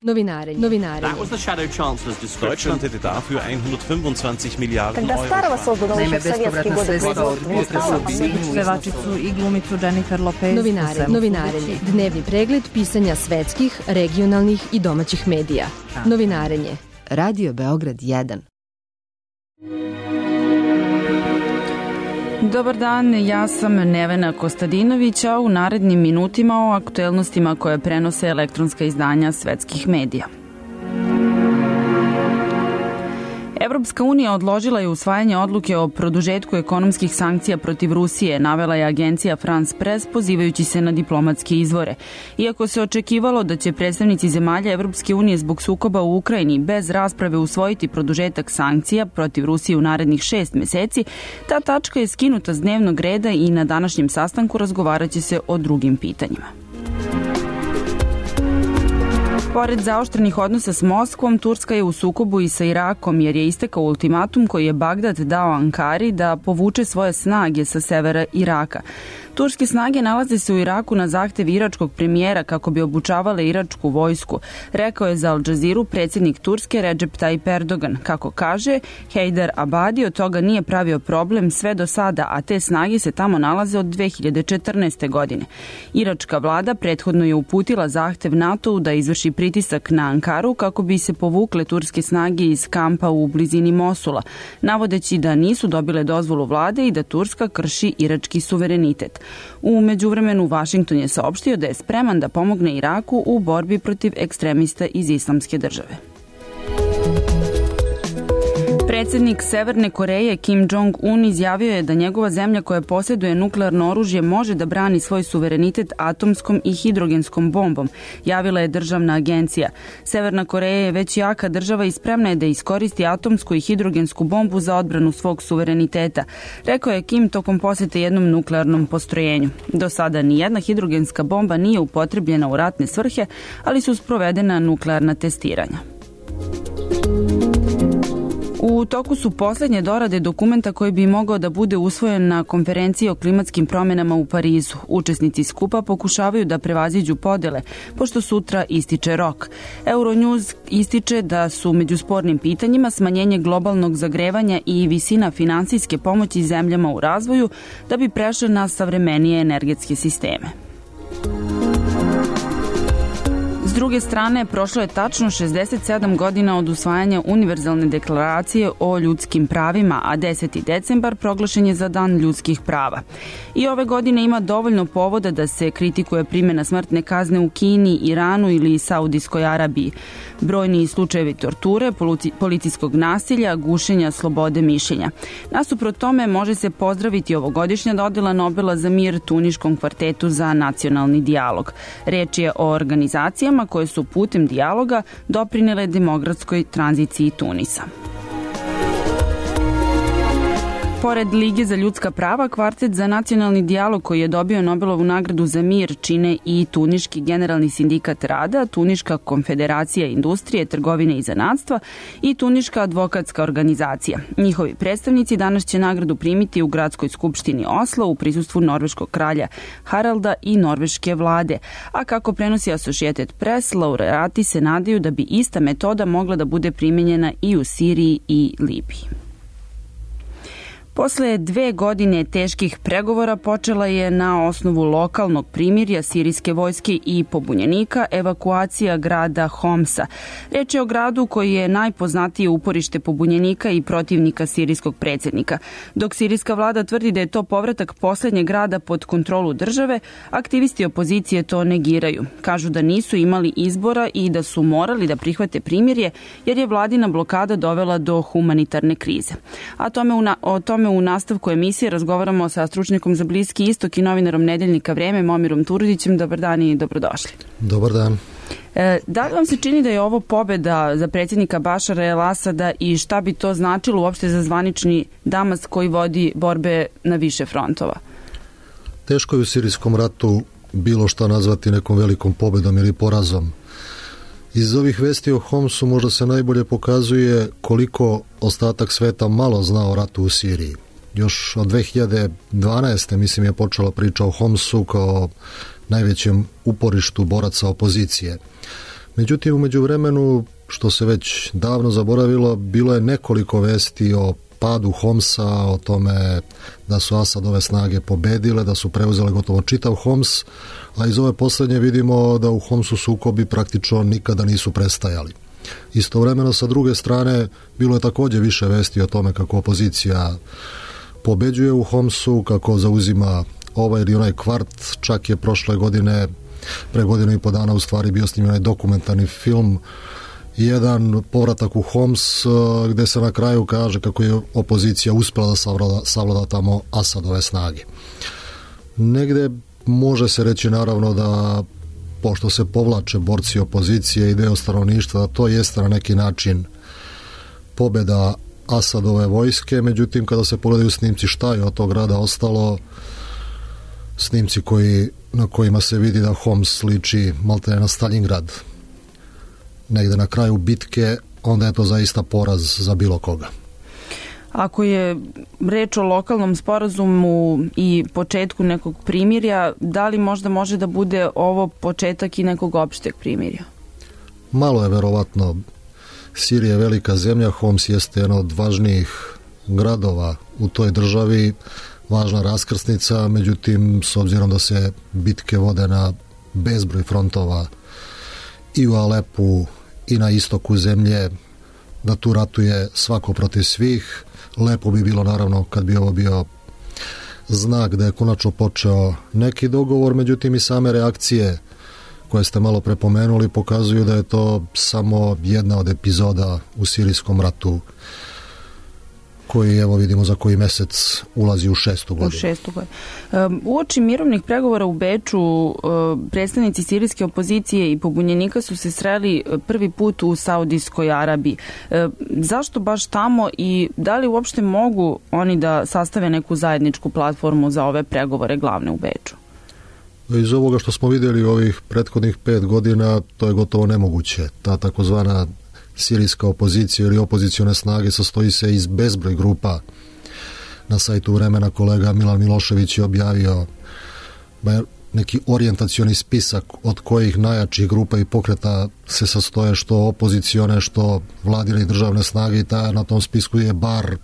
Novinarenje. That was the Shadow Chancellor's description. Deutschland hätte dafür 125 Miliarden Когда Старого создано еще в советские годы производства, pevačicu i glumicu Jennifer Lopez. Novinarenje. Dnevni pregled pisanja svetskih, regionalnih i domaćih medija. Novinarenje. Radio Beograd 1. Dobar dan, ja sam Nevena Kostadinović, a u narednim minutima o aktuelnostima koje prenose elektronska izdanja svetskih medija. Evropska unija odložila je usvajanje odluke o produžetku ekonomskih sankcija protiv Rusije, navela je agencija France Press pozivajući se na diplomatske izvore. Iako se očekivalo da će predstavnici zemalja Evropske unije zbog sukoba u Ukrajini bez rasprave usvojiti produžetak sankcija protiv Rusije u narednih 6 meseci, ta tačka je skinuta s dnevnog reda i na današnjem sastanku razgovaraće se o drugim pitanjima. Pored zaoštrenih odnosa s Moskvom, Turska je u sukobu i sa Irakom jer je istekao ultimatum koji je Bagdad dao Ankari da povuče svoje snage sa severa Iraka. Turske snage nalaze se u Iraku na zahtev iračkog premijera kako bi obučavale iračku vojsku, rekao je za Al Jazeeru predsjednik Turske Recep Tayyip Erdogan. Kako kaže, Heydar Abadi od toga nije pravio problem sve do sada, a te snage se tamo nalaze od 2014. godine. Iračka vlada prethodno je uputila zahtev NATO-u da izvrši pritisak na Ankaru kako bi se povukle turske snage iz kampa u blizini Mosula, navodeći da nisu dobile dozvolu vlade i da Turska krši irački suverenitet. U međuvremenu Vašington je saopštio da je spreman da pomogne Iraku u borbi protiv ekstremista iz Islamske države. Predsjednik Severne Koreje Kim Jong-un izjavio je da njegova zemlja koja posjeduje nuklearno oružje može da brani svoj suverenitet atomskom i hidrogenskom bombom, javila je državna agencija. Severna Koreja je već jaka država i spremna je da iskoristi atomsku i hidrogensku bombu za odbranu svog suvereniteta, rekao je Kim tokom posjete jednom nuklearnom postrojenju. Do sada nijedna hidrogenska bomba nije upotrebljena u ratne svrhe, ali su sprovedena nuklearna testiranja. U toku su posljednje dorade dokumenta koji bi mogao da bude usvojen na konferenciji o klimatskim promjenama u Parizu. Učesnici skupa pokušavaju da prevaziđu podele, pošto sutra ističe rok. Euronews ističe da su među spornim pitanjima smanjenje globalnog zagrevanja i visina finansijske pomoći zemljama u razvoju da bi prešle na savremenije energetske sisteme. S druge strane, prošlo je tačno 67 godina od usvajanja Univerzalne deklaracije o ljudskim pravima, a 10. decembar proglašen je za Dan ljudskih prava. I ove godine ima dovoljno povoda da se kritikuje primjena smrtne kazne u Kini, Iranu ili Saudijskoj Arabiji. Brojni slučajevi torture, policijskog nasilja, gušenja slobode mišljenja. Nasuprot tome može se pozdraviti ovogodišnja dodjela Nobela za mir Tuniškom kvartetu za nacionalni dijalog. Reč je o organizacijama koje su putem dijaloga doprinele demokratskoj tranziciji Tunisa. Pored Lige za ljudska prava, kvartet za nacionalni dijalog koji je dobio Nobelovu nagradu za mir čine i Tuniški generalni sindikat rada, Tuniška konfederacija industrije, trgovine i zanatstva i Tuniška advokatska organizacija. Njihovi predstavnici danas će nagradu primiti u gradskoj skupštini Oslo u prisustvu norveškog kralja Haralda i norveške vlade. A kako prenosi Associated Press, laureati se nadaju da bi ista metoda mogla da bude primijenjena i u Siriji i Libiji. Posle 2 godine teških pregovora počela je na osnovu lokalnog primirja sirijske vojske i pobunjenika evakuacija grada Homsa. Reč je o gradu koji je najpoznatije uporište pobunjenika i protivnika sirijskog predsjednika. Dok sirijska vlada tvrdi da je to povratak posljednjeg grada pod kontrolu države, aktivisti opozicije to negiraju. Kažu da nisu imali izbora i da su morali da prihvate primirje jer je vladina blokada dovela do humanitarne krize. O tome u nastavku emisije razgovaramo sa stručnjakom za Bliski istok i novinarom Nedeljnika Vreme Momirom Turudićem. Dobar dan i dobrodošli. Dobar dan. Da li vam se čini da je ovo pobjeda za predsjednika Bašara el-Asada i šta bi to značilo uopšte za zvanični Damask koji vodi borbe na više frontova? Teško je u sirijskom ratu bilo šta nazvati nekom velikom pobjedom ili porazom. Iz ovih vesti o Homsu možda se najbolje pokazuje koliko ostatak sveta malo zna o ratu u Siriji. Još od 2012. mislim je počela priča o Homsu kao najvećem uporištu boraca opozicije. Međutim, u međuvremenu, što se već davno zaboravilo, bilo je nekoliko vesti o padu Homsa, o tome da su Asadove snage pobedile, da su preuzele gotovo čitav Homs, a iz ove poslednje vidimo da u Homsu sukobi praktično nikada nisu prestajali. Istovremeno, sa druge strane, bilo je takođe više vesti o tome kako opozicija pobeđuje u Homsu, kako zauzima ovaj ili onaj kvart. Čak je prošle godine, pre godinu i po dana, u stvari bio snimljen dokumentarni film, jedan povratak u Homs, gde se na kraju kaže kako je opozicija uspela da savlada tamo Asadove snage. Negde može se reći naravno da, pošto se povlače borci opozicije i deo stanovništva, da to jeste na neki način pobeda Asadove vojske, međutim kada se pogledaju snimci šta je od tog grada ostalo, snimci na kojima se vidi da Homs liči maltene na Stalingrad negde na kraju bitke, onda je to zaista poraz za bilo koga. Ako je reč o lokalnom sporazumu i početku nekog primirja, da li možda može da bude ovo početak i nekog opšteg primirja? Malo je verovatno. Sirija je velika zemlja, Homs jeste jedan od važnijih gradova u toj državi, važna raskrsnica, međutim, s obzirom da se bitke vode na bezbroj frontova i u Alepu i na istoku zemlje, da tu ratuje svako protiv svih. Lepo bi bilo naravno kad bi ovo bio znak da je konačno počeo neki dogovor, međutim i same reakcije koje ste malo prepomenuli pokazuju da je to samo jedna od epizoda u sirijskom ratu koji, evo vidimo, za koji mesec ulazi u 6. godinu. Uoči mirovnih pregovora u Beču, predstavnici sirijske opozicije i pobunjenika su se sreli prvi put u Saudijskoj Arabiji. Zašto baš tamo i da li uopšte mogu oni da sastave neku zajedničku platformu za ove pregovore glavne u Beču? Iz ovoga što smo vidjeli ovih prethodnih 5 godina, to je gotovo nemoguće. Ta takozvana sirijska opozicija ili opozicione snage sastoji se iz bezbroj grupa. Na sajtu Vremena kolega Milan Milošević je objavio neki orijentacioni spisak od kojih najjačih grupa i pokreta se sastoje što opozicione, što vladine i državne snage, i na tom spisku je bar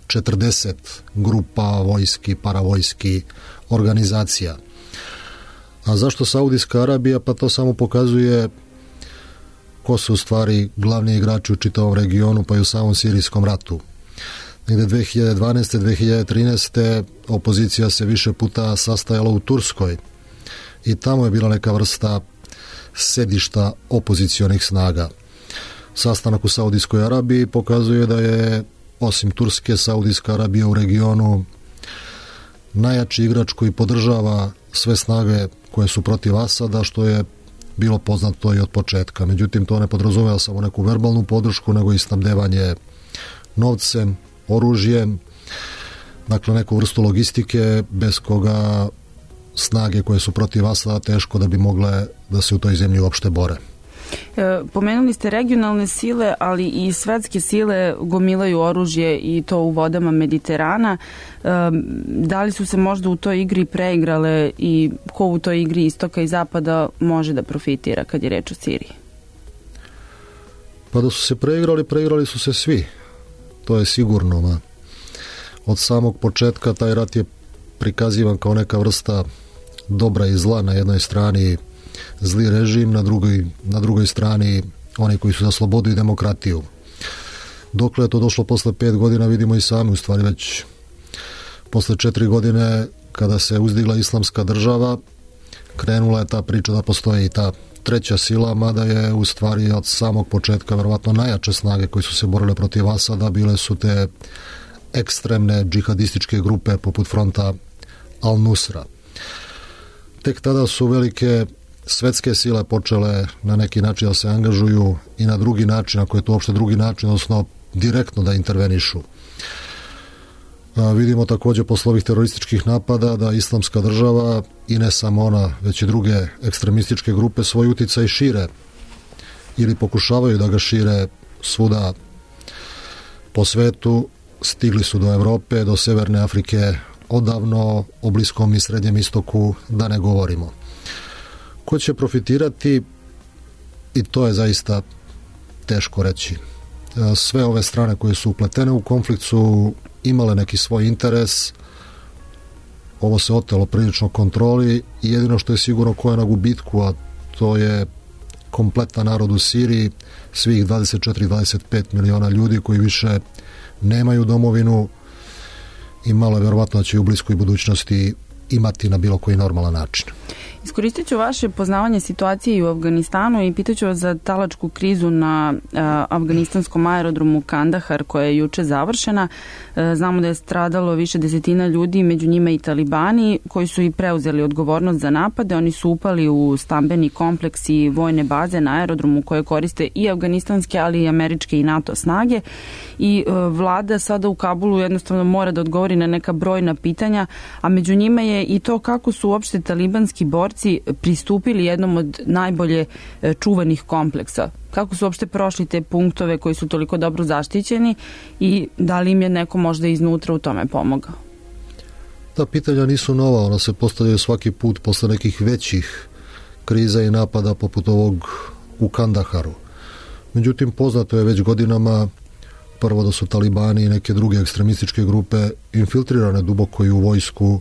40 grupa vojski, paravojski organizacija. A zašto Saudijska Arabija? Pa to samo pokazuje ko su u stvari glavni igrači u čitavom regionu, pa i u samom sirijskom ratu. Negde 2012. 2013. opozicija se više puta sastajala u Turskoj i tamo je bila neka vrsta sedišta opozicionih snaga. Sastanak u Saudijskoj Arabiji pokazuje da je, osim Turske, Saudijska Arabija u regionu najjači igrač koji podržava sve snage koje su protiv Asada, što je bilo poznato i od početka. Međutim, to ne podrazumeva samo neku verbalnu podršku, nego i snabdevanje novcem, oružjem, dakle neku vrstu logistike bez koga snage koje su protiv Asada teško da bi mogle da se u toj zemlji uopšte bore. Pomenuli ste regionalne sile, ali i svetske sile gomilaju oružje i to u vodama Mediterana. Da li su se možda u toj igri preigrale i ko u toj igri istoka i zapada može da profitira kad je reč o Siriji? Pa da su se preigrali su se svi. To je sigurno. Od samog početka taj rat je prikazivan kao neka vrsta dobra i zla. Na jednoj strani zli režim, na drugoj strani oni koji su za slobodu i demokratiju. Dokle je to došlo posle 5 godina vidimo i sami, u stvari već posle 4 godine kada se uzdigla islamska država, krenula je ta priča da postoji i ta treća sila, mada je u stvari od samog početka verovatno najjače snage koji su se borile protiv Asada bile su te ekstremne džihadističke grupe poput fronta Al-Nusra. Tek tada su velike svetske sile počele na neki način da se angažuju i na drugi način, ako je to uopšte drugi način, odnosno direktno da intervenišu. Vidimo takođe posle ovih terorističkih napada da islamska država i ne samo ona, već i druge ekstremističke grupe svoj uticaj šire ili pokušavaju da ga šire svuda po svetu. Stigli su do Evrope, do Severne Afrike odavno, o Bliskom i Srednjem istoku da ne govorimo. Ko će profitirati? i to je zaista teško reći. Sve ove strane koje su upletene u konflikt su imale neki svoj interes. Ovo se otelo prilično kontroli i jedino što je sigurno ko je na gubitku, a to je kompletan narod u Siriji, svih 24-25 miliona ljudi koji više nemaju domovinu i malo je verovatno da će u bliskoj budućnosti imati na bilo koji normalan način. Iskoristit ću vaše poznavanje situacije i u Afganistanu i pitaću vas za talačku krizu na afganistanskom aerodromu Kandahar koja je juče završena. Znamo da je stradalo više desetina ljudi, među njima i talibani koji su i preuzeli odgovornost za napade. Oni su upali u stambeni kompleks i vojne baze na aerodromu koje koriste i afganistanske, ali i američke i NATO snage i vlada sada u Kabulu jednostavno mora da odgovori na neka brojna pitanja, a među njima je i to kako su uopšte talibanski borci pristupili jednom od najbolje čuvanih kompleksa. Kako su uopšte prošli te punktove koji su toliko dobro zaštićeni i da li im je neko možda iznutra u tome pomogao? Ta pitanja nisu nova, ona se postavljaju svaki put posle nekih većih kriza i napada poput ovog u Kandaharu. Međutim, poznato je već godinama prvo da su talibani i neke druge ekstremističke grupe infiltrirane duboko i u vojsku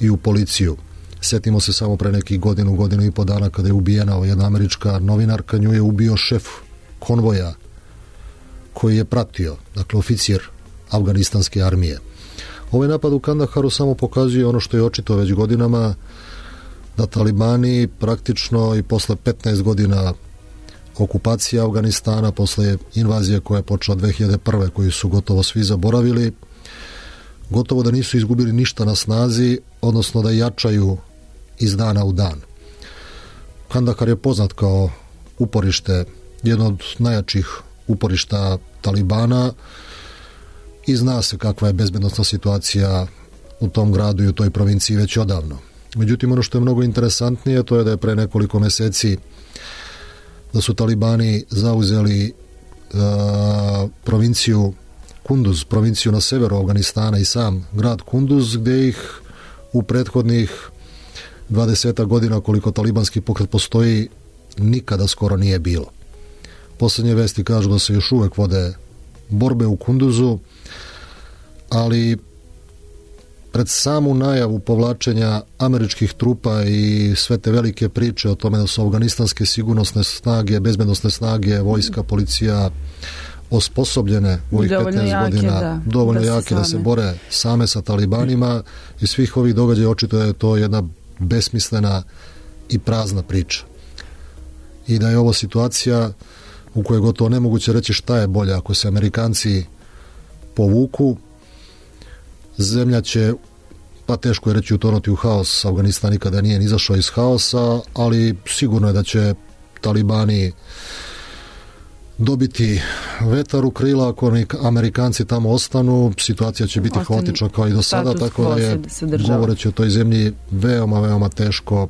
i u policiju. Sjetimo se samo pre nekih godinu i po dana kada je ubijena jedna američka novinarka, nju je ubio šef konvoja koji je pratio, dakle oficir afganistanske armije. Ovaj napad u Kandaharu samo pokazuje ono što je očito već godinama, da talibani praktično i posle 15 godina okupacije Afganistana, posle invazije koja je počela 2001. koju su gotovo svi zaboravili, gotovo da nisu izgubili ništa na snazi, odnosno da jačaju iz dana u dan. Kandahar je poznat kao uporište, jedno od najjačih uporišta talibana i zna se kakva je bezbednosna situacija u tom gradu i u toj provinciji već odavno. Međutim, ono što je mnogo interesantnije, to je da je pre nekoliko meseci da su talibani zauzeli provinciju Kunduz, provinciju na severu Afganistana i sam grad Kunduz, gde ih u prethodnih 20 godina koliko talibanski pokret postoji nikada skoro nije bilo. Poslednje vesti kažu da se još uvek vode borbe u Kunduzu, ali pred samu najavu povlačenja američkih trupa i sve te velike priče o tome da su afganistanske sigurnosne snage, bezbednosne snage, vojska, policija osposobljene u ovih 15 godina, dovoljno jake da se bore same sa talibanima i svih ovih događaja očito je to jedna besmislena i prazna priča. I da je ovo situacija u kojoj je gotovo nemoguće reći šta je bolje. Ako se Amerikanci povuku, zemlja će, pa teško je reći, utonuti u haos. Afganistan nikada nije izašao iz haosa, ali sigurno je da će talibani dobiti vetar u krila. Ako Amerikanci tamo ostanu, situacija će biti haotična kao i do sada, tako da je, govoreći o toj zemlji, veoma, veoma teško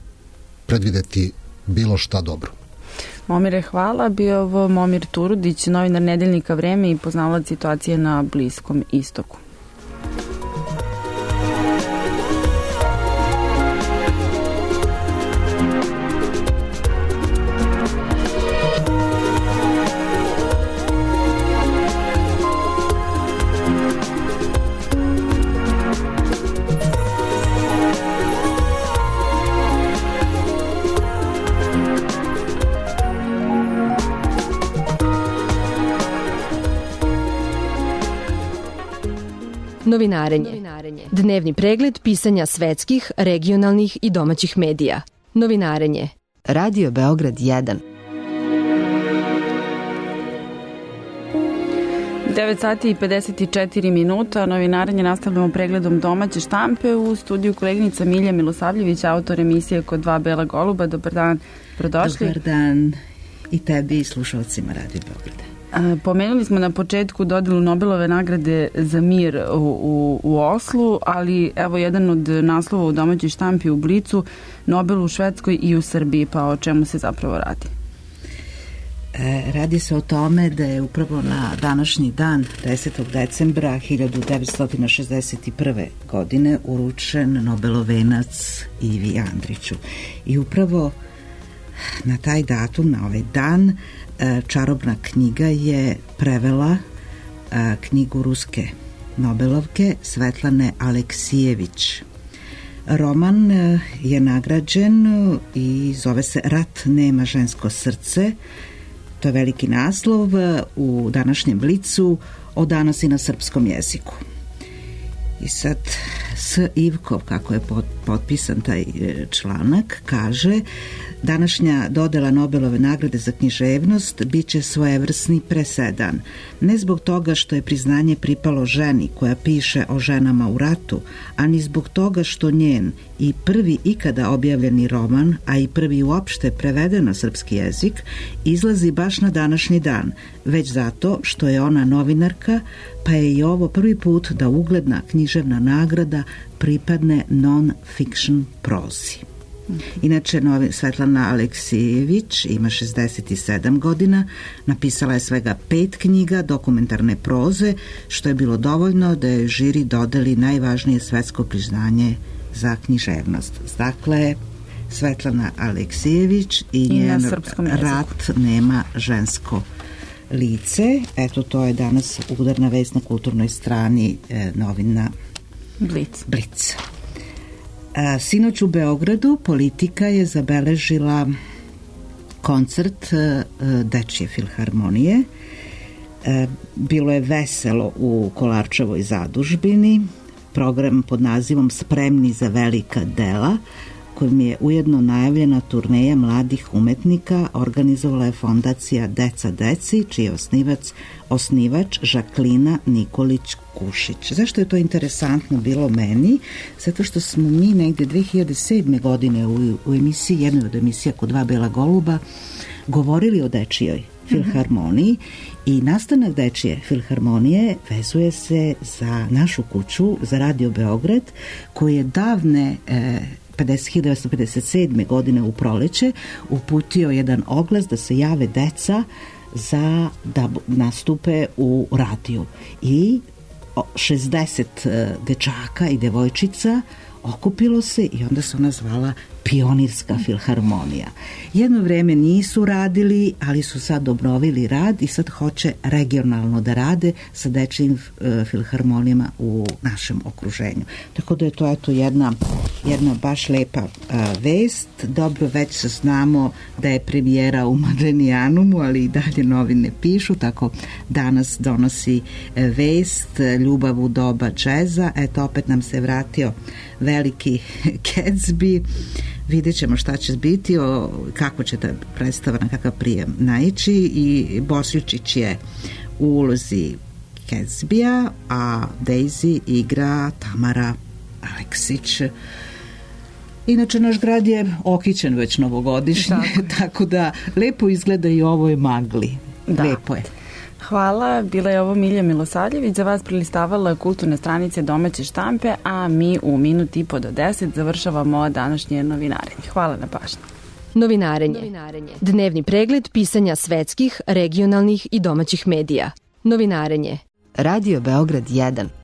predvideti bilo šta dobro. Momire, hvala. Bio ovo Momir Turudić, novinar Nedeljnika Vreme i poznavalac situacije na Bliskom istoku. Novinarenje. Dnevni pregled pisanja svetskih, regionalnih i domaćih medija. Novinarenje. Radio Beograd 1. 9 sati i 54 minuta. Novinarenje nastavljamo pregledom domaće štampe. U studiju koleginica Milja Milosavljević, autor emisije Kod dva bela goluba. Dobar dan, prodošli. Dobar dan i tebi i slušalcima Radio Beograda. Pomenuli smo na početku dodelu Nobelove nagrade za mir u Oslu, ali evo jedan od naslova u domaćoj štampi u Blicu, Nobel u Švedskoj i u Srbiji, pa o čemu se zapravo radi? Radi se o tome da je upravo na današnji dan, 10. decembra 1961. godine, uručen Nobelov venac Ivi Andriću. I upravo na taj datum, na ovaj dan, čarobna knjiga je prevela knjigu ruske Nobelovke Svetlane Aleksijević. Roman je nagrađen i zove se Rat nema žensko srce. To je veliki naslov u današnjem Blicu, od danas i na srpskom jeziku. I sad S. Ivkov, kako je potpisan taj članak, kaže: današnja dodela Nobelove nagrade za književnost bit će svojevrsni presedan. Ne zbog toga što je priznanje pripalo ženi koja piše o ženama u ratu, a ni zbog toga što njen i prvi ikada objavljeni roman, a i prvi uopšte preveden na srpski jezik, izlazi baš na današnji dan, već zato što je ona novinarka, pa je i ovo prvi put da ugledna književna nagrada pripadne non-fiction prozi. Inače, Svetlana Aleksijević ima 67 godina, napisala je svega 5 knjiga dokumentarne proze, što je bilo dovoljno da je žiri dodeli najvažnije svetsko priznanje za književnost. Dakle, Svetlana Aleksijević i njen Rat nema žensko lice. Eto, to je danas udarna vest na kulturnoj strani novina Blic. Sinoć u Beogradu Politika je zabeležila koncert Dečije filharmonije. Bilo je veselo u Kolarčevoj zadužbini. Program pod nazivom Spremni za velika dela, kojim je ujedno najavljena turneja mladih umetnika, organizovala je fondacija Deca deci, čiji je osnivač Žaklina Nikolić-Kušić. Zašto je to interesantno bilo meni? Zato što smo mi negde 2007. godine u emisiji, jednoj od emisija Kod dva bela goluba, govorili o Dečijoj filharmoniji i nastanak Dečije filharmonije vezuje se za našu kuću, za Radio Beograd, koji je davne 1957. godine u proleće uputio jedan oglas da se jave deca za da nastupe u radiju. I 60 dečaka i devojčica okupilo se i onda se ona zvala Pionirska filharmonija. Jedno vreme nisu radili, ali su sad obnovili rad i sad hoće regionalno da rade sa dečijim filharmonijama u našem okruženju. Tako da je to eto jedna baš lepa vest. Dobro, već znamo da je premijera u Madrenijanumu, ali i dalje novine pišu, tako danas donosi vest Ljubav u doba džeza. Eto, opet nam se vratio veliki Gatsby. Vidjet ćemo šta će biti, kako će ta predstava, na kakav prijem naići. I Bosjučić je u ulozi Gatsbya, a Daisy igra Tamara Aleksić. Inače, naš grad je okićen već novogodišnje, tako da lepo izgleda i ovo je magli. Da. Lepo je. Hvala, bila je ovo Milja Milosavljević, za vas prelistavala kulturne stranice domaće štampe, a mi u minut i po do 10 završavamo današnje novinarenje. Hvala na pažnji. Novinarenje. Dnevni pregled pisanja svetskih, regionalnih i domaćih medija. Novinarenje. Radio Beograd 1.